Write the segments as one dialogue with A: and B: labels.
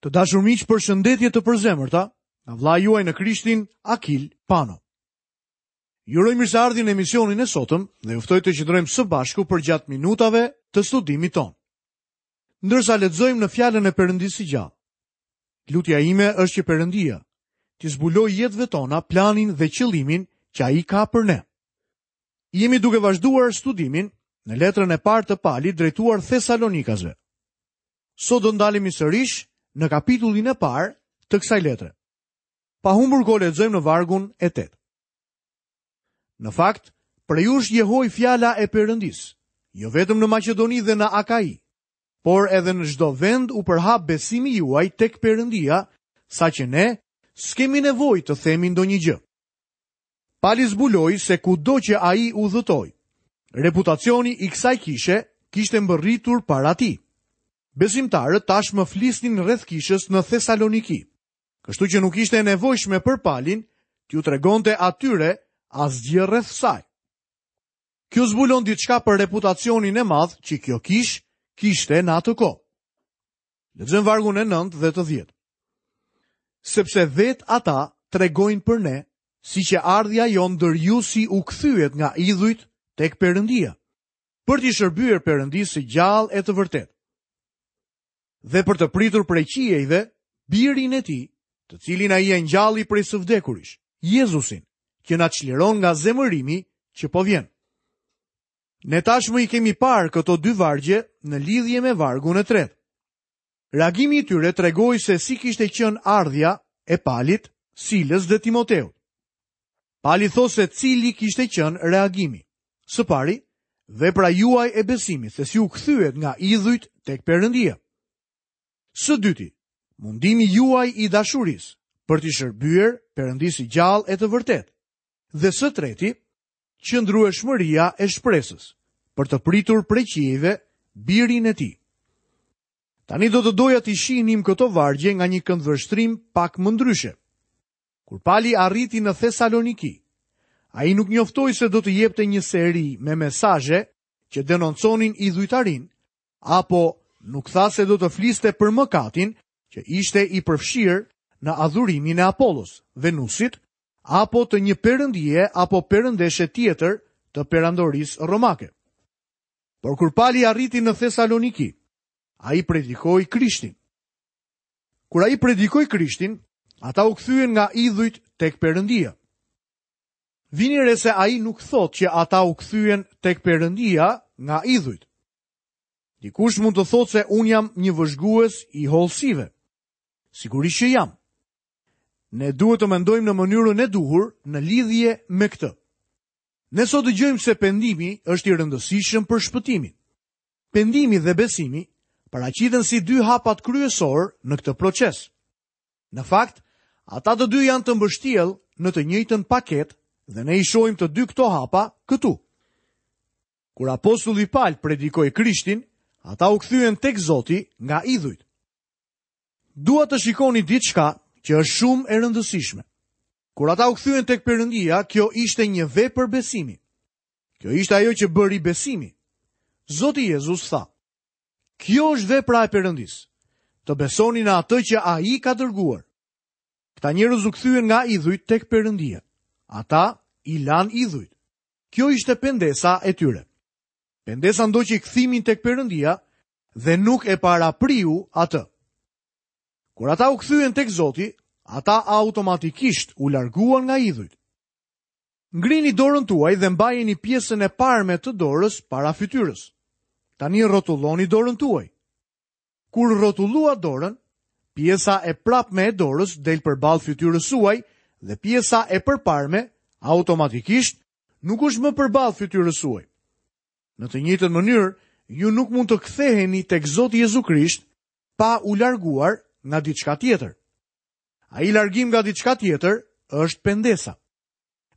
A: Të dashur miq, përshëndetje të përzemërta nga vëllai juaj në Krishtin, Akil Pano. Ju uroj mirëseardhje në emisionin e sotëm dhe ju ftoj të qëndrojmë së bashku përgjatë minutave të studimit tonë. Ndërsa lexojmë në fjalën e Perëndisë së gjallë. Lutja ime është që Perëndia t'i zbulojë jetëve tona planin dhe qëllimin që ai ka për ne. Jemi duke vazhduar studimin në letrën e parë të Palit drejtuar Thesalonikasve. Sot do ndalemi sërish në kapitullin e parë të kësaj letre. Pa humbur kohë lexojmë në vargun e 8. Në fakt, prej jush jehoi fjala e Perëndisë, jo vetëm në Maqedoni dhe në Akai, por edhe në çdo vend u përhap besimi juaj tek Perëndia, saqë ne s'kemi nevojë të themi ndonjë gjë. Pali zbuloi se kudo që ai udhëtoi, reputacioni i kësaj kishe kishte mbërritur para tij. Besimtarët tashmë flisnin rreth kishës në Thesaloniki, kështu që nuk ishte e nevojshme për Palin t'u tregonte atyre asgjë rreth saj. Kjo zbulon diçka për reputacionin e madh që kjo kishë kishte në atë kohë. Lexojmë vargun e 9 dhe të 10. Sepse vetë ata tregojnë për ne, si qe ardhja jonë ndër ju si u kthyet nga idhujt tek Perëndia, për t'i shërbyer Perëndisë së gjallë e të vërtetë. Dhe për të pritur prej qiejve birin e tij, të cilin ai e ngjalli prej së vdekurish, Jezusin, që na çliron nga zemërimi që po vjen. Ne tashmë i kemi parë këto dy vargje në lidhje me vargun e tretë. Reagimi i tyre tregoi se si kishte qenë ardhja e Palit, Silës dhe Timoteut. Pali thotë se cili kishte qenë reagimi. Së pari, vepra juaj e besimit se si u kthyet nga idhujt tek Perëndia. Së dyti, mundimi juaj i dashurisë për t'i shërbyer Perëndisë së gjallë e të vërtetë. Dhe së treti, qëndrueshmëria e shpresës për të pritur prej qiejve birin e tij. Tani do të doja t'i shihnim këto vargje nga një këndvështrim pak më ndryshe. Kur Pali arriti në Thesaloniki, ai nuk njoftoi se do të jepte një seri me mesazhe që denonconin idhujtarinë, apo nuk tha se do të fliste për mëkatin që ishte i përfshirë në adhurimin e Apollos, Venusit, apo të një perëndie apo perëndeshe tjetër të perandorisë romake. Por kur Pali arriti në Thesaloniki, ai predikoi Krishtin. Kur ai predikoi Krishtin, ata u kthyen nga idhujt tek Perëndia. Vini re se ai nuk thotë që ata u kthyen tek Perëndia nga idhujt. Dikush mund të thotë se unë jam një vëzhgues i hollësive. Sigurisht që jam. Ne duhet të mendojmë në mënyrën e duhur në lidhje me këtë. Ne sot dëgjojmë se pendimi është i rëndësishëm për shpëtimin. Pendimi dhe besimi paraqiten si dy hapat kryesorë në këtë proces. Në fakt, ata të dy janë të mbështjellë në të njëjtën paketë dhe ne i shohim të dy këto hapa këtu. Kur apostulli Pal predikoi Krishtin, ata u kthyen tek Zoti nga idhujt. Dua të shikoni diçka që është shumë e rëndësishme. Kur ata u kthyen tek Perëndia, kjo ishte një vepër besimi. Kjo ishte ajo që bëri besimi. Zoti Jezus tha: Kjo është vepra e Perëndisë, të besoni në atë që ai ka dërguar. Këta njerëz u kthyen nga idhujt tek Perëndia. Ata i lanë idhujt. Kjo ishte pendesa e tyre. Pendesa ndoqi kthimin tek Perëndia dhe nuk e parapriu atë. Kur ata u kthyen tek Zoti, ata automatikisht u larguan nga idhujt. Ngrini dorën tuaj dhe mbajeni pjesën e parme të dorës para fytyrës. Tani rrotulloni dorën tuaj. Kur rrotulluat dorën, pjesa e prapme e dorës del përballë fytyrës suaj dhe pjesa e përparme automatikisht nuk është më përballë fytyrës suaj. Në të njëjtën mënyrë, ju nuk mund të ktheheni tek Zoti Jezu Krisht pa u larguar nga diçka tjetër. Ai largim nga diçka tjetër është pendesa.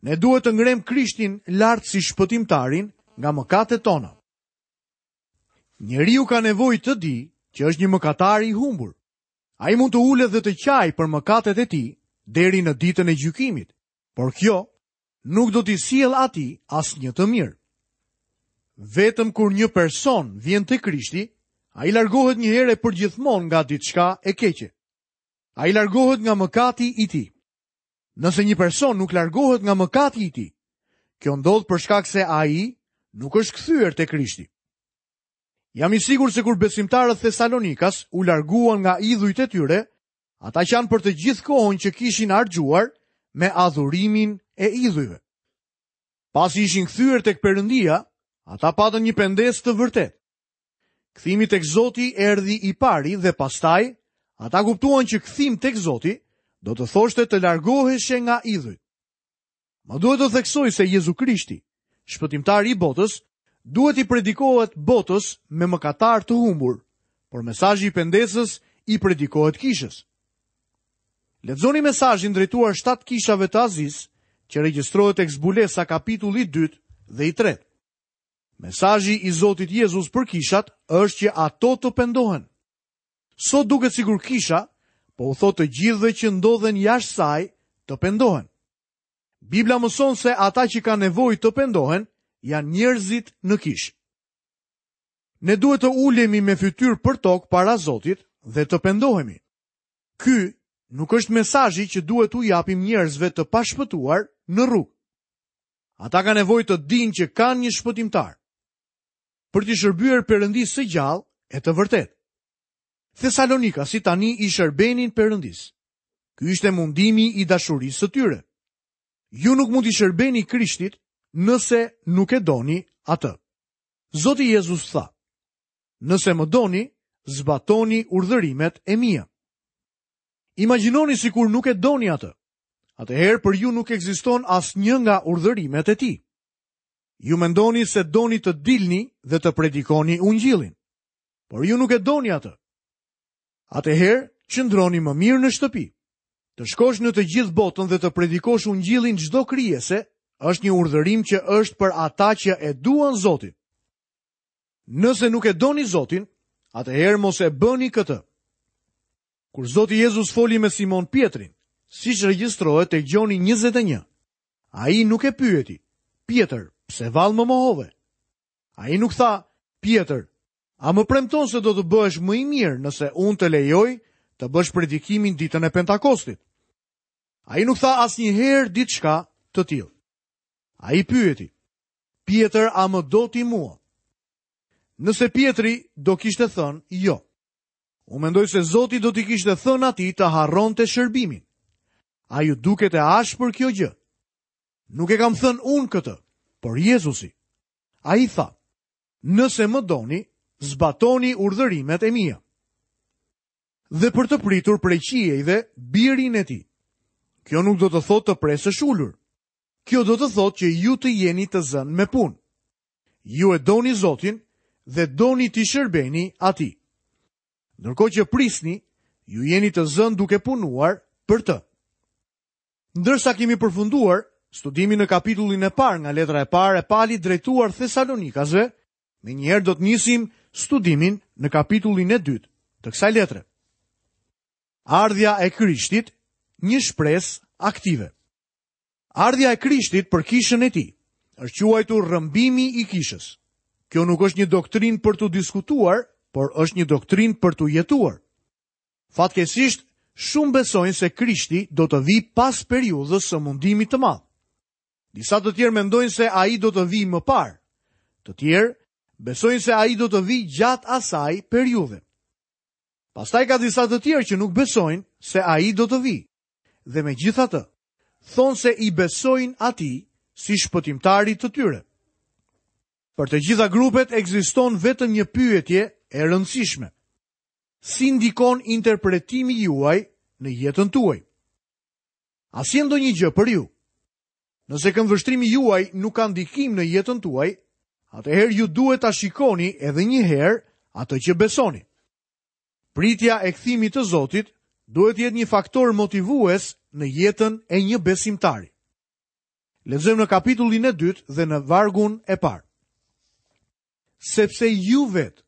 A: Ne duhet të ngremë Krishtin lart si shpëtimtarin nga mëkatet tona. Njeriu ka nevojë të dijë që është një mëkatar i humbur. Ai mund të ulet dhe të qajë për mëkatet e tij deri në ditën e gjykimit, por kjo nuk do t'i sjellë atij asnjë të mirë. Vetëm kur një person vjen te Krishti, ai largohet një herë e përgjithmonë nga diçka e keqe. Ai largohet nga mëkati i tij. Nëse një person nuk largohet nga mëkati i tij, kjo ndodh për shkak se ai nuk është kthyer te Krishti. Jam i sigurt se kur besimtarët thesalonikas u larguan nga idhujt e tyre, ata qanë për të gjithë kohën që kishin harxhuar me adhurimin e idhujve. Pasi ishin kthyer tek Perëndia, ata patën një pendesë të vërtetë. Kthimi tek Zoti erdhi i pari dhe pastaj ata kuptuan që kthim tek Zoti do të thoshte të largoheshe nga idhujt. Më duhet të theksoj se Jezu Krishti, shpëtimtari i botës, duhet t'i predikohet botës me mëkatarë të humbur, por mesazhi i pendesës i predikohet kishës. Lexoni mesazhin drejtuar shtatë kishave të Azisë, që regjistrohet tek Zbulesa kapitulli i dytë dhe i tretë. Mesazhi i Zotit Jezus për kishat është që ato të pendohen. Sot duket sikur kisha po u thotë të gjithëve që ndodhen jashtë saj të pendohen. Bibla mëson se ata që kanë nevojë të pendohen janë njerëzit në kishë. Ne duhet të ulemi me fytyrë për tokë para Zotit dhe të pendohemi. Ky nuk është mesazhi që duhet t'u japim njerëzve të pashpëtuar në rrugë. Ata kanë nevojë të dinë që kanë një shpëtimtar. Për t'i shërbyer Perëndisë së gjallë e të vërtetë. Thesalonikasit tani i shërbenin Perëndisë. Ky ishte mundimi i dashurisë së tyre. Ju nuk mund t'i shërbeni Krishtit nëse nuk e doni atë. Zoti Jezus tha: Nëse më doni, zbatoni urdhërimet e mia. Imagjinoni sikur nuk e doni atë. Atëherë për ju nuk ekziston asnjë nga urdhërimet e tij. Ju mendoni se doni të dilni dhe të predikoni ungjillin, por ju nuk e doni atë. Atëherë qëndroni më mirë në shtëpi. Të shkosh në të gjithë botën dhe të predikosh ungjillin çdo krijese është një urdhërim që është për ata që e duan Zotin. Nëse nuk e doni Zotin, atëherë mos e bëni këtë. Kur Zoti Jezus foli me Simon Pjetrin, siç regjistrohet tek Gjoni 21, ai nuk e pyeti, Pjetër, pse vallë më mohove? Ai nuk tha, Pjetër, a më premton se do të bëhesh më i mirë nëse unë të lejoj të bësh predikimin ditën e Pentakostit? Ai nuk tha asnjëherë diçka të tillë. Ai pyeti, Pjetër, a më do ti mua? Nëse Pjetri do kishte thënë jo. Unë mendoj se Zoti do t'i kishte thënë atij të harronte shërbimin. A ju duket e ashpër kjo gjë? Nuk e kam thënë unë këtë, por Jezusi. Ai tha, nëse më doni, zbatoni urdhërimet e mia. Dhe për të pritur prej qiejve birin e tij. Kjo nuk do të thotë të presësh ulur. Kjo do të thotë që ju të jeni të zënë me punë. Ju e doni Zotin dhe doni t'i shërbeni atij. Ndërkohë që prisni, ju jeni të zënë duke punuar për të. Ndërsa kemi përfunduar studimin në kapitullin e parë nga letra e parë e Palit drejtuar Thesalonikasve, menjëherë do të nisim studimin në kapitullin e dytë të kësaj letre. Ardhja e Krishtit, një shpresë aktive. Ardhja e Krishtit për kishën e tij është quajtur rrëmbimi i kishës. Kjo nuk është një doktrinë për t'u diskutuar, por është një doktrinë për t'u jetuar. Fatkeqësisht, shumë besojnë se Krishti do të vijë pas periudhës së mundimit të madh. Disa të tjerë mendojnë se ai do të vijë më parë. Të tjerë besojnë se ai do të vijë gjatë asaj periudhe. Pastaj ka disa të tjerë që nuk besojnë se ai do të vijë. Dhe megjithatë, thonë se i besojnë atij si shpëtimtarit të tyre. Për të gjitha grupet ekziston vetëm një pyetje e rëndësishme. Si ndikon interpretimi juaj në jetën tuaj? A sjell ndonjë gjë për ju? Nëse këndvështrimi juaj nuk ka ndikim në jetën tuaj, atëherë ju duhet ta shikoni edhe një herë atë që besoni. Pritja e kthimit të Zotit duhet të jetë një faktor motivues në jetën e një besimtari. Lexojmë në kapitullin e dytë dhe në vargun e parë. Sepse ju vetë,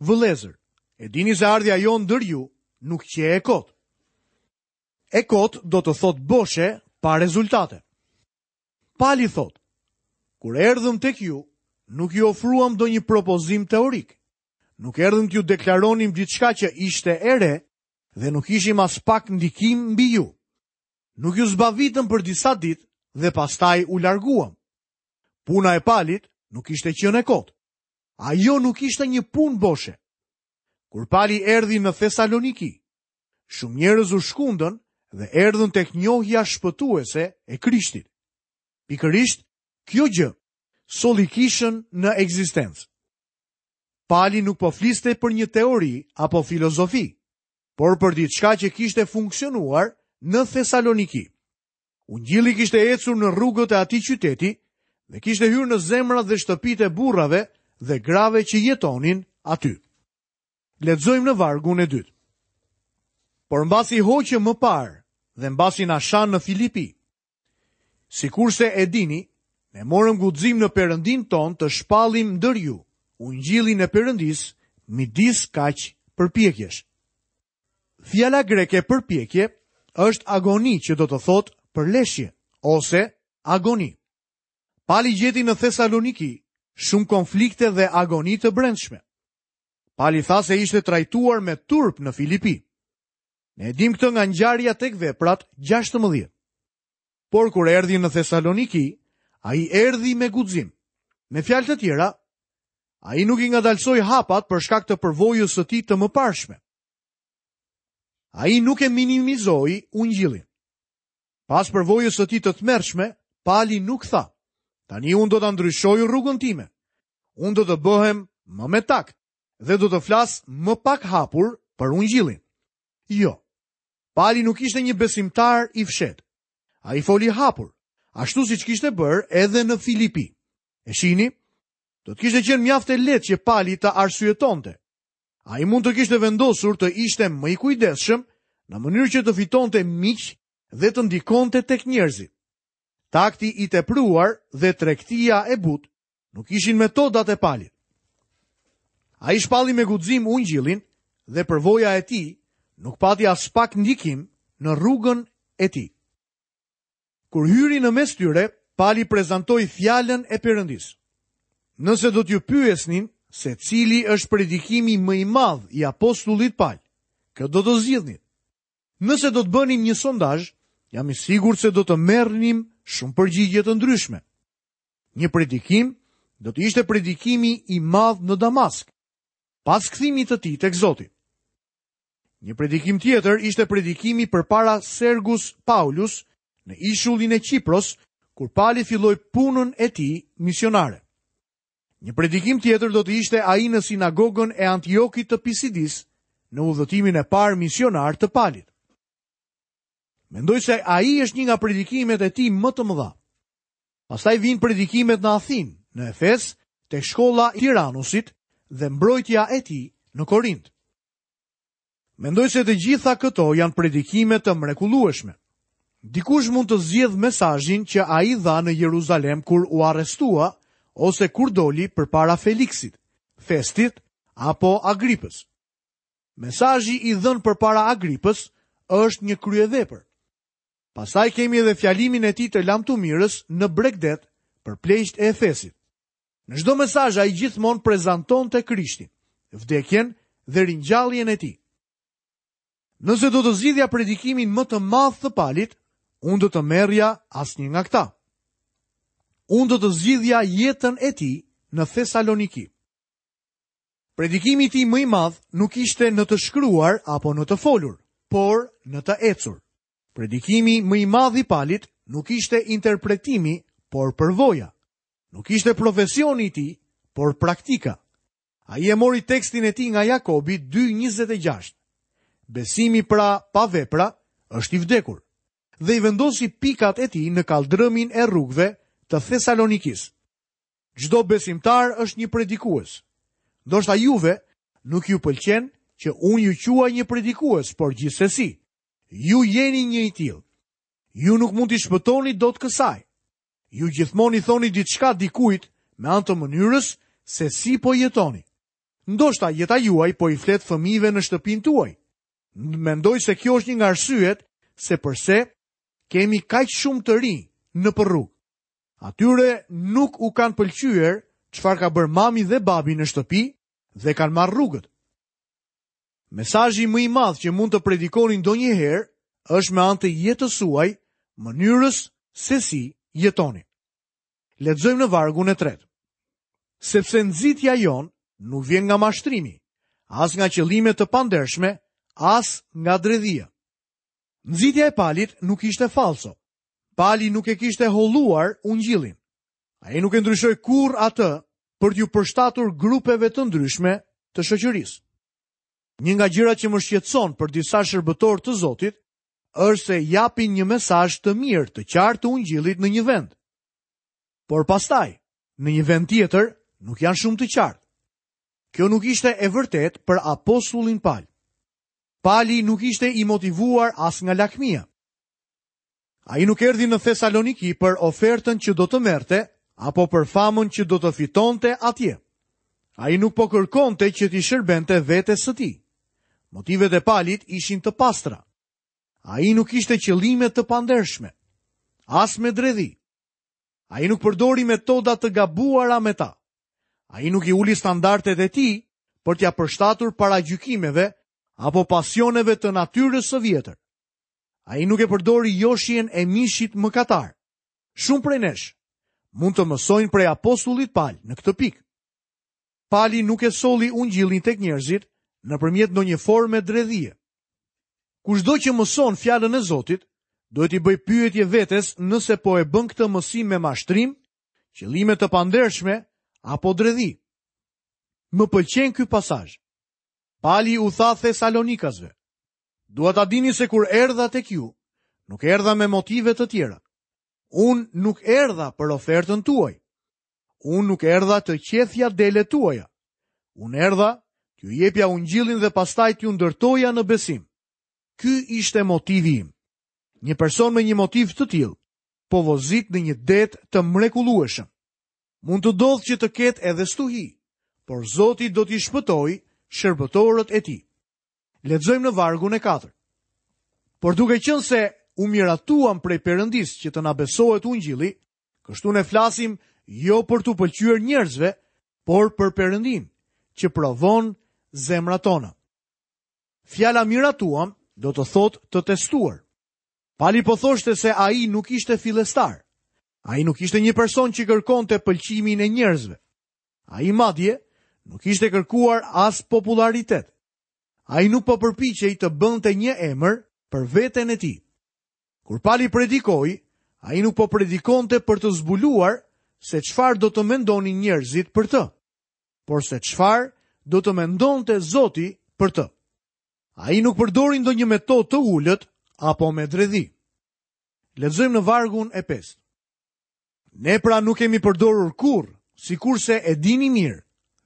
A: vëllezër, e dini se ardhja jonë ndër ju nuk qe e kotë. E kotë do të thotë boshe pa rezultate. Pali thotë, kur erdhëm tek ju, nuk ju ofruam ndonjë propozim teorik. Nuk erdhëm t'ju deklaronim diçka që ishte e re. dhe nuk kishim aspak ndikim mbi ju. Nuk ju zbavitëm për disa ditë dhe pastaj u larguam. Puna e Palit nuk kishte qenë e kotë. Ajo nuk ishte një punë boshe. Kur Pali erdhi në Thesaloniki, shumë njerëz u shkundën dhe erdhën tek njohja shpëtuese e Krishtit. Pikërisht, kjo gjë solli kishën në ekzistencë. Pali nuk po fliste për një teori apo filozofi, por për diçka që kishte funksionuar në Thesaloniki. Ungjilli kishte ecur në rrugët e atij qyteti dhe kishte hyrë në zemrat dhe shtëpitë e burrave dhe grave që jetonin aty. Lexojmë në vargun e dytë. Por mbasi hoqëm më parë dhe mbasi na shanë në Filipi, sikurse e dini, ne morëm guxim në Perëndinë tonë të shpallim ndër ju ungjillin e Perëndisë midis kaq përpjekjesh. Fjala greke përpjekje është agoni që do të thotë përleshje ose agoni. Pali gjeti në Thesaloniki shumë konflikte dhe agoni të brendshme. Pali tha se ishte trajtuar me turp në Filipi. Ne e dimë këtë nga ngjarja tek veprat 16. Por kur erdhi në Thesaloniki, ai erdhi me guxim. Me fjalë të tjera, ai nuk i ngadalësoi hapat për shkak të përvojës së tij të mëparshme. Ai nuk e minimizoi ungjillin. Pas përvojës së tij të tmerrshme, Pali nuk tha: "Tani unë do ta ndryshoj rrugën time. Unë do të bëhem më me takt dhe do të flas më pak hapur për ungjillin." Jo. Pali nuk ishte një besimtar i fshehtë. Ai foli hapur, ashtu siç kishte bërë edhe në Filipi. E shihni? Do të kishte qenë mjaft e lehtë që Pali të arsyetonte. Ai mund të kishte vendosur të ishte më i kujdesshëm në mënyrë që të fitonte miq dhe të ndikonte tek njerëzit. Takti i tepruar dhe tregtia e butë nuk ishin metodat e Palit. Ai shpalli me guxim ungjillin dhe përvoja e tij nuk pati aspak ndikim në rrugën e tij. Kur hyri në mes tyre, Pali prezantoi fjalën e Perëndisë. Nëse do t'ju pyesnin se cili është predikimi më i madh i apostullit Pal, kë do të zgjidhnit? Nëse do të bënim një sondazh, jam i sigurt se do të merrnim shumë përgjigje të ndryshme. Një predikim do të ishte predikimi i madh në Damask, pas kthimit të tij tek Zoti. Një predikim tjetër ishte predikimi përpara Sergus Paulus në ishullin e Qipros, kur Pali filloi punën e tij misionare. Një predikim tjetër do të ishte ai në sinagogën e Antiokit të Pisidisë, në udhëtimin e parë misionar të Palit. Mendoj se ai është një nga predikimet e tij më të mëdha. Pastaj vijnë predikimet në Athinë, në Efes, tek shkolla e Tiranusit dhe mbrojtja e tij në Korint. Mendoj se të gjitha këto janë predikime të mrekullueshme. Dikush mund të zgjedhë mesazhin që ai dha në Jeruzalem kur u arrestua ose kur doli përpara Feliksit, Festit apo Agripës. Mesazhi i dhënë përpara Agripës është një kryevepër. Pastaj kemi edhe fjalimin e tij të lamtumirës në bregdet për pleqtë e Efesit. Në çdo mesazh ai gjithmonë prezantonte Krishtin, vdekjen dhe ringjalljen e tij. Nëse do të zgjidhja predikimin më të madh të Palit, unë do të merrja asnjë nga këta. Unë do të zgjidhja jetën e tij në Thesaloniki. Predikimi i tij më i madh nuk ishte në të shkruar apo në të folur, por në të ecur. Predikimi më i madh i Palit nuk ishte interpretimi, por përvoja. Nuk ishte profesioni i tij, por praktika. Ai e mori tekstin e tij nga Jakobi 2:26. Besimi pra pa vepra është i vdekur. Dhe i vendosi pikat e tij në kalldrëmin e rrugëve të Thesalonikisë. Çdo besimtar është një predikues. Ndoshta juve nuk ju pëlqen që unë ju quaj një predikues, por gjithsesi, ju jeni një i tillë. Ju nuk mund t'i shpëtoni dot kësaj. Ju gjithmonë i thoni diçka dikujt me anë të mënyrës se si po jetoni. Ndoshta jeta juaj po i flet fëmijëve në shtëpinë tuaj. Mendoj se kjo është një nga arsyet se përse kemi kaq shumë të rinj nëpër rrugë. Atyre nuk u kanë pëlqyer çfarë ka bërë mami dhe babi në shtëpi dhe kanë marrë rrugët. Mesazhi më i madh që mund të predikoni ndonjëherë është me anë të jetës suaj, mënyrës se si jetoni. Lexojmë në vargun e tretë. Sepse nxitja jonë nuk vjen nga mashtrimi, as nga qëllime të pandershme, as nga dredhia. Nxitja e Palit nuk ishte fallco. Pali nuk e kishte holluar ungjillin. Ai nuk e ndryshoi kurrë atë për t'iu përshtatur grupeve të ndryshme të shoqërisë. Një nga gjërat që më shqetëson për disa shërbëtorë të Zotit është se japin një mesazh të mirë, të qartë të ungjillit në një vend. Por pastaj, në një vend tjetër, nuk janë shumë të qartë. Kjo nuk ishte e vërtetë për apostullin Pal. Pali nuk ishte i motivuar as nga lakmia. Ai nuk erdhi në Thesaloniki për ofertën që do të merrte apo për famën që do të fitonte atje. Ai nuk po kërkonte që t'i shërbente vetes së tij. Motivet e Palit ishin të pastra. Ai nuk kishte qëllime të pandershme, as me dredhi. Ai nuk përdori metoda të gabuara me ta. Ai nuk i uli standardet e tij për t'ia përshtatur paragjykimeve apo pasioneve të natyrës së vjetër. Ai nuk e përdori joshjen e mishit mëkatar. Shumë prej nesh mund të mësojnë prej apostullit Pal në këtë pikë. Pali nuk e solli ungjillin tek njerëzit nëpërmjet ndonjë forme dredhie. Kushdo që mëson fjalën e Zotit, duhet t'i bëjë pyetje vetes nëse po e bën këtë mësim me mashtrim, qëllime të pandershme apo dredhi. Më pëlqen ky pasazh. Pali u tha Thesalonikasve, Dua ta dini se kur erdha tek ju, nuk erdha me motive të tjera. Unë nuk erdha për ofertën tuaj. Unë nuk erdha të qethja delet tuaja. Unë erdha t'ju jepja ungjillin dhe pastaj t'ju ndërtoja në besim. Ky ishte motivi im. Një person me një motiv të tillë po vozit në një det të mrekullueshëm. Mund të ndodhë që të ketë edhe stuhi, por Zoti do t'i shpëtojë shërbëtorët e tij. Lexojmë në vargun e 4. Por duke qenë se u miratuam prej Perëndisë që të na besohet ungjilli, kështu ne flasim jo për t'u pëlqyer njerëzve, por për Perëndinë, që provon zemrat tona. Fjala miratuam do të thotë të testuar. Pali po thoshte se ai nuk ishte fillestar. Ai nuk ishte një person që kërkonte pëlqimin e njerëzve. Ai madje nuk kishte kërkuar as popullaritet. Ai nuk po përpiqej të bënte një emër për veten e tij. Kur Pali predikoi, ai nuk po predikonte për të zbuluar se çfarë do të mendonin njerëzit për të, por se çfarë do të mendonte Zoti për të. Ai nuk përdori ndonjë metodë të ulët apo me dredhi. Lexojmë në vargun e 5. Ne pra nuk kemi përdorur kurrë, sikurse e dini mirë,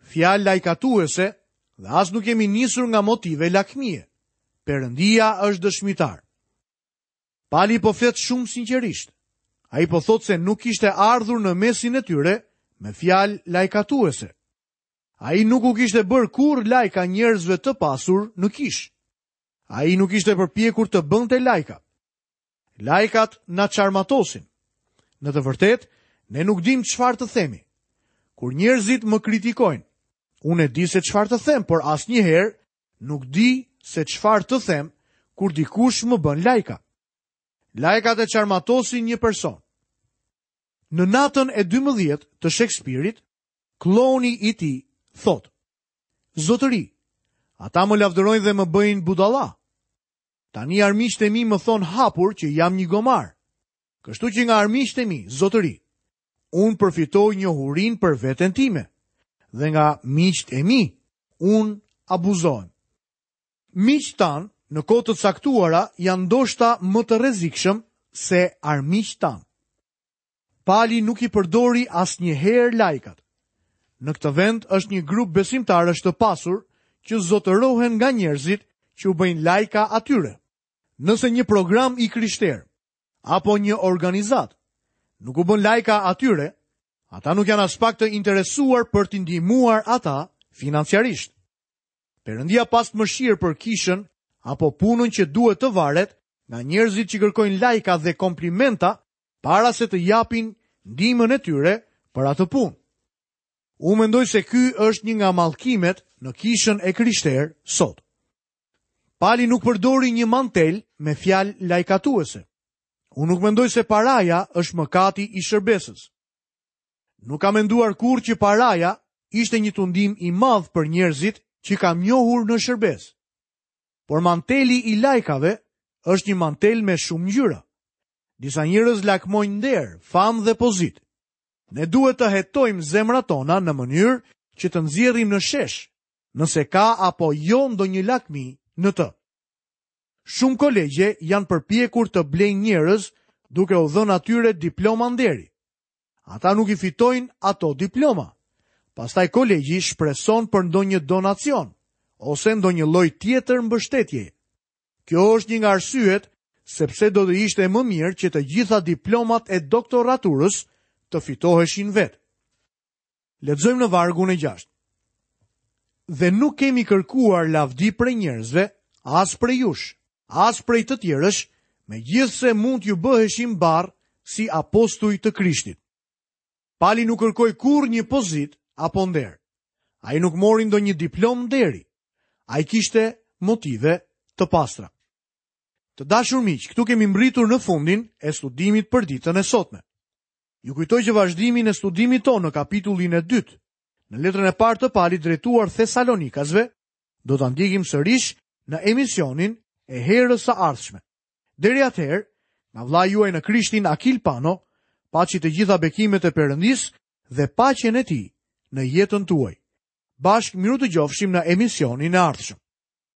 A: fjalë lajkatuese dhe as nuk jemi nisur nga motive lakmie. Perëndia është dëshmitar. Pali po flet shumë sinqerisht. Ai po thotë se nuk kishte ardhur në mesin e tyre me fjalë lajkatuese. Ai nuk u kishte bërë kurrë lajka njerëzve të pasur në kishë. Ai nuk ishte përpjekur të bënte lajka. Lajkat na çarmatosin. Në të vërtetë, ne nuk dimë çfarë të themi. Kur njerëzit më kritikojnë, unë e di se çfarë të them, por asnjëherë nuk di se çfarë të them kur dikush më bën lajka. Lajkat e çarmatosin një person. Në natën e 12 të Shekspirit, kllouni i tij thotë: Zotëri, ata më lavdërojnë dhe më bëjnë budalla. Tani armiqtë e mi më thonë hapur që jam një gomar. Kështu që nga armiqtë e mi, zotëri, unë përfitoj njohurinë për veten time dhe nga miqtë e mi, unë abuzohem. Miqtë tanë në kohë të caktuara janë ndoshta më të rrezikshëm se armiqtë tanë. Pali nuk i përdori asnjëherë lajkat. Në këtë vend është një grup besimtarësh të pasur që zotërohen nga njerëzit që u bëjnë lajka atyre. Nëse një program i krishterë apo një organizatë nuk u bën lajka atyre, ata nuk janë aspak të interesuar për t'i ndihmuar ata financiarisht. Perëndia pastë mëshirë për kishën apo punën që duhet të varet nga njerëzit që kërkojnë lajka dhe komplimenta para se të japin ndihmën e tyre për atë punë. Unë mendoj se ky është një nga mallkimet në kishën e krishterë sot. Pali nuk përdori një mantel me fjalë lajkatuese. Unë nuk mendoj se paraja është mëkati i shërbesës. Nuk kam menduar kurrë që paraja ishte një tundim i madh për njerëzit që kam njohur në shërbesë. Por manteli i lajkave është një mantel me shumë ngjyra. Disa njerëz lakmojnë nder, famë dhe pozitë. Ne duhet të hetojmë zemrat tona në mënyrë që të nxjerrim në shesh, nëse ka apo jo ndonjë lakmi në të. Shumë kolegje janë përpjekur të blejnë njerëz duke u dhënë atyre diploma nderi. Ata nuk i fitojnë ato diploma. Pastaj kolegji shpreson për ndonjë donacion ose ndonjë lloj tjetër mbështetjeje. Kjo është një nga arsyet sepse do të ishte më mirë që të gjitha diplomat e doktoraturës të fitoheshin vetë. Lexojmë në vargun e 6. Dhe nuk kemi kërkuar lavdi prej njerëzve, as prej jush, as prej të tjerësh, megjithëse mund t'ju bëheshim barrë si apostuj të Krishtit. Pali nuk kërkoi kurrë një pozitë apo nder. Ai nuk mori ndonjë diplomë nderi. Ai kishte motive të pastra. Të dashur miq, këtu kemi mbërritur në fundin e studimit për ditën e sotme. Ju kujtoj që vazhdimin e studimit tonë në kapitullin e dytë, në letrën e parë të Palit drejtuar Thesalonikasve, do ta ndjekim sërish në emisionin e herës së ardhshme. Deri atëherë, nga vëllai juaj në Krishtin Akil Pano, paçi të gjitha bekimet e Perëndisë dhe paqen e tij në jetën tuaj. Bashkë mirudëgjofshim në emisionin e ardhshëm.